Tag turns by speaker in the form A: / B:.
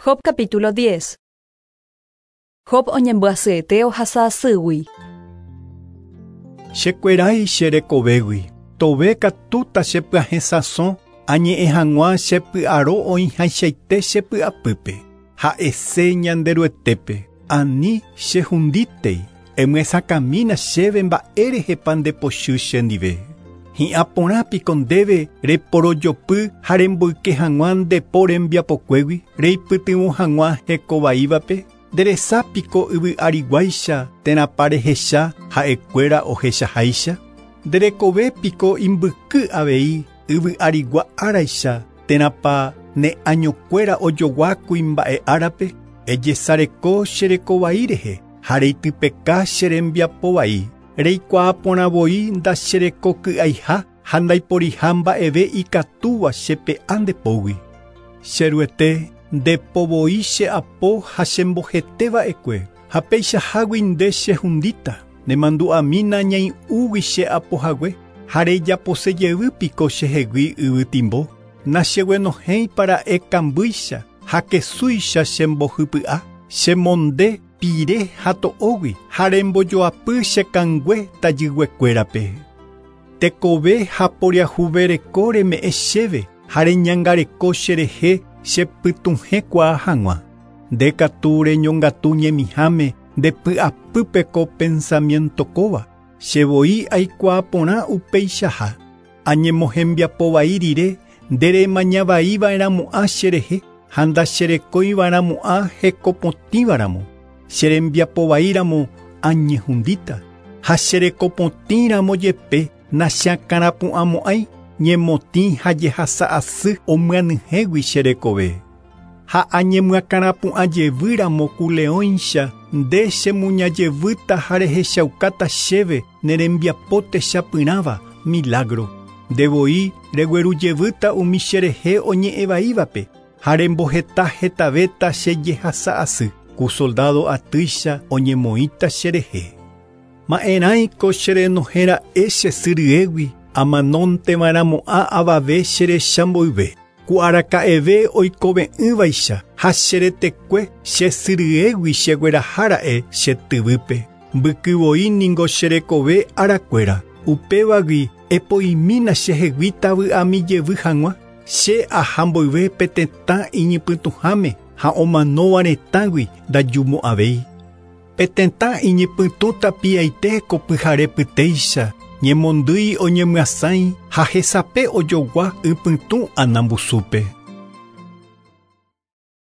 A: Job capítulo 10. Job oñembyasyete ohasa asýgui.
B: Chekuerái che rekovégui, tove katu tachepyahẽ sãso añe'ẽ hag̃ua che py'aro oĩhaichaite che py'apýpe. Ha'ese Ñanderuetépe, ani chehundítei, emyesakãmína chéve mba'érehepa ndepochy chendive. Hi'ã porã piko ndéve reporojopy ha remboyke hag̃ua nde po rembiapokuégui reipytyvõ hag̃ua hekovaívape, nderesa piko yvy ariguáicha térãpa rehecha ha'ekuéra ohechaháicha. Nderekove piko imbyky avei yvy arigua áraicha térãpa ne añokuéra ojogua kuimba'e árape, ejesareko cherekovai rehe ha reitypeka che rembiapovai. Reikuaa porã voi ndacherekoky'aiha ha ndaiporiha mba'eve ikatúva chepe'a ndepógui. Cheruete ndepovoi che apo ha chemboheteva'ekue ha peichahágui nde chehundíta nemandu'amína ñai'ũgui che apohague ha rejaposejey piko chehegui yvytimbo nacheguenohẽipara'e kambýicha ha kesúicha chembohypy'a chemonde pire ha to'ógui ha rembojoapy che kangue tajyguekuérape. Tekove ha poriahuvereko reme'ẽ chéve ha reñangareko cherehe chepytuhẽkuaa hag̃ua. Nde katu reñongatu ñemiháme ndepy'apýpe ko pensamiento kóva chevoi aikuaa porã upeichaha. Añemohembiapovai rire nderemañavaiva'erãmo'ã cherehe ha ndacherekoiva'erãmo'ã hekopotĩvaramo. Cherembiapovaíramo añehundíta ha cherekopotĩramo jepe nacheakãrapu'ãmo'ãi ñemotĩ ha jehasa asy omyanyhẽgui cherekove. Ha añemyakãrapu'ãjevýramo ku leõicha nde chemuñajevýta ha rehechaukáta chéve nerembiapo techapyrãva milagro. Ndevoi reguerujevýta umi cherehe oñe'ẽvaívape ha remboheta hetavéta che jehasa asy ku soldado atýicha oñemoĩta cherehe. Ma'erãiko cherenohẽra'e che sy ryégui amanónteva'erãmo'ã avave cherecha mboyve. Ku araka'eve oikove'ỹvaicha ha cheretekue che sy ryégui cheguerahára'e che tyvýpe. Mbykyvoi ningo cherekove arakuéra. Upévagui epoimína chehegui tavy'ami jevy hag̃ua che aha mboyve pe tetã iñypytũháme ha omanóva retãgui ndajumo'ãvéi. Pe tetã iñypytũ tapiaite ko pyharepytéicha ñemondýi oñemyasãi ha hesape ojogua ypytũ anambusúpe.